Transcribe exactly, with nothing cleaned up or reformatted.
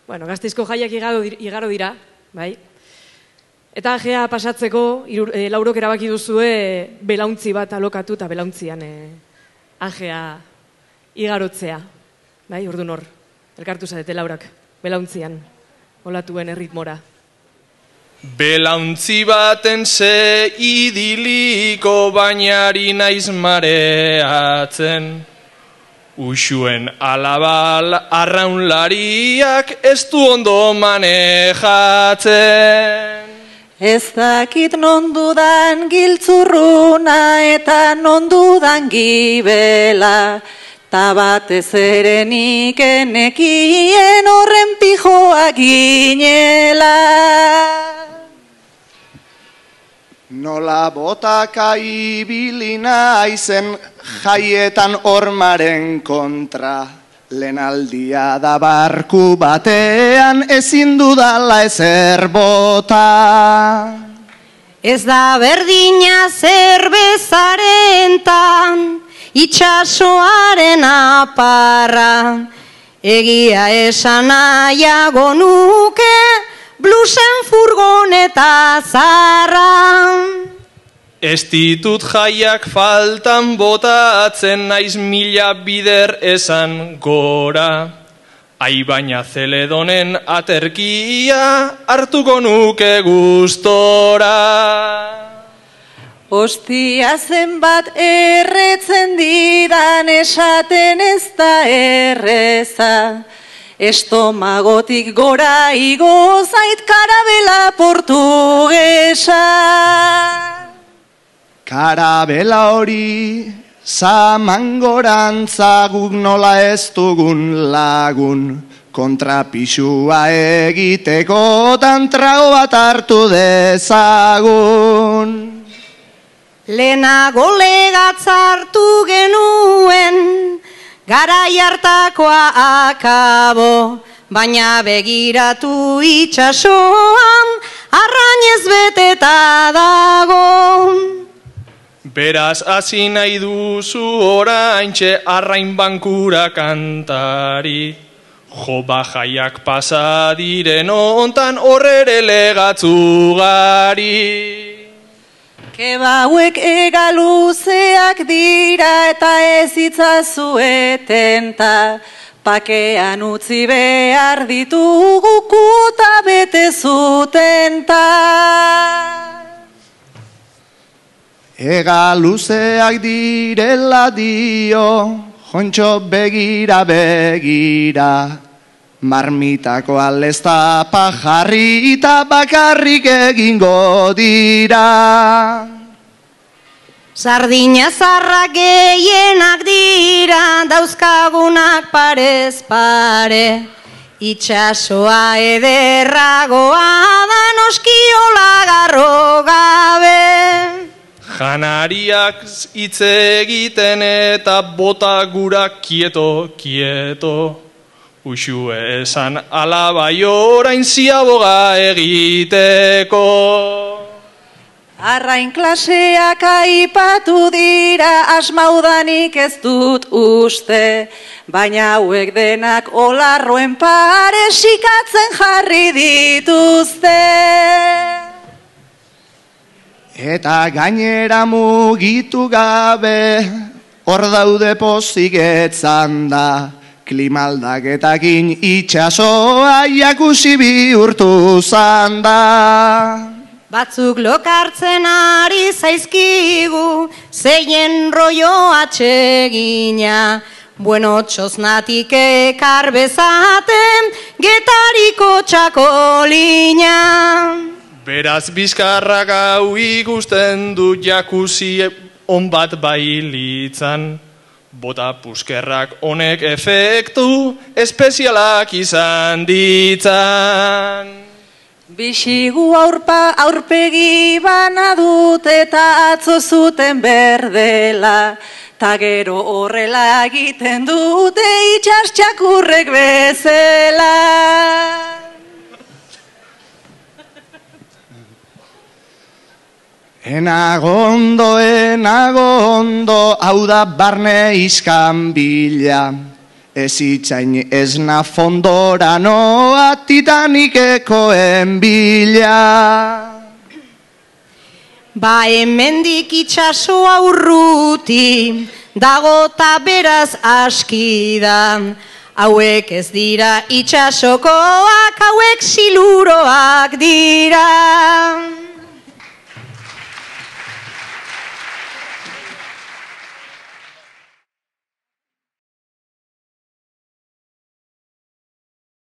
Bueno, Gasteizko jaiak igaro dira, bai. Eta ajea pasatzeko, e, laurok erabaki duzue belauntzi bat alokatu eta belauntzian e, ajea igarotzea. Bai, ordu nor, elkartu zarete laurak, belauntzian, olatuen erritmora. Belauntzi baten ze idiliko bainari naiz mareatzen. Uxuen alabal arraunlariak ez du ondo manejatzen. Ez dakit nondudan giltzurruna eta nondudan gibela, ta batez ere nik enekien horren pijoa ginela. Nola botaka ibilina aizen jaietan hormaren kontra, lehenaldia da barku batean ezin dudala ezer bota. Ez da berdina zerbezarentan, itxasoaren aparra, egia esan nahiago nuke, blusen furgoneta zarra. Ez ditut jaiak faltan botatzen naiz mila bider esan gora. Ai baina Zeledonen aterkia hartuko nuke gustora. Ostia zenbat erretzen didan esaten ez da erreza. Estomagotik gora igo zait karabela portugesa. Karabela hori zamangorantza guk nola ez dugun lagun. Kontrapixua egiteko tantrago bat hartu dezagun. Lehenago legatzartu genuen, garai hartakoa akabo, baina begiratu itxasoan, arrainez beteta dago. Beraz hasi nahi duzu oraintxe arrain bankura kantari. Jo bajaiak pasa diren ontan horrere legatzugari. Kebauek egaluzeak dira eta ez itzazueten ta, pakean utzi behar ditugu kuta bete zuten ta. Egaluzeak direla dio, jontxo begira begira, marmitako aldezta pajarri eta bakarrik egingo dira. Sardina zarrak gehienak dira, dauzkagunak parez pare, itxasoa ederragoa da noskiola garro gabe. Janariak hitz egiten eta bota gura kieto, kieto. Uxue esan alabai orain ziaboga egiteko. Arrain klaseak aipatu dira, asmaudanik ez dut uste, baina hauek denak olarroen pare sikatzen jarri dituzte. Eta gainera mugitu gabe, hor daude pozik etzan da, klimaldaketakin itxasoa jakusi bihurtu zanda. Batzuk lokartzen ari zaizkigu, zeien rollo atsegina, bueno txosnatik ekar bezaten, getariko txakolina. Beraz bizkarrak hau ikusten du jakuzi on bat bailitzan. Bota puskerrak honek efektu espezialak izan ditzan. Bixigu aurpa aurpegi bana dut eta atzo zuten berdela, ta gero horrela egiten dute itxas txakurrek bezala. Enagondo, enagondo, hau da barne iskan bila, Ez itxain esna fondora noa Titanicekoen bila. Ba hemendik itxasoa urruti, dago ta beraz aski da. Hauek ez dira itxasokoak, hauek siluroak dira.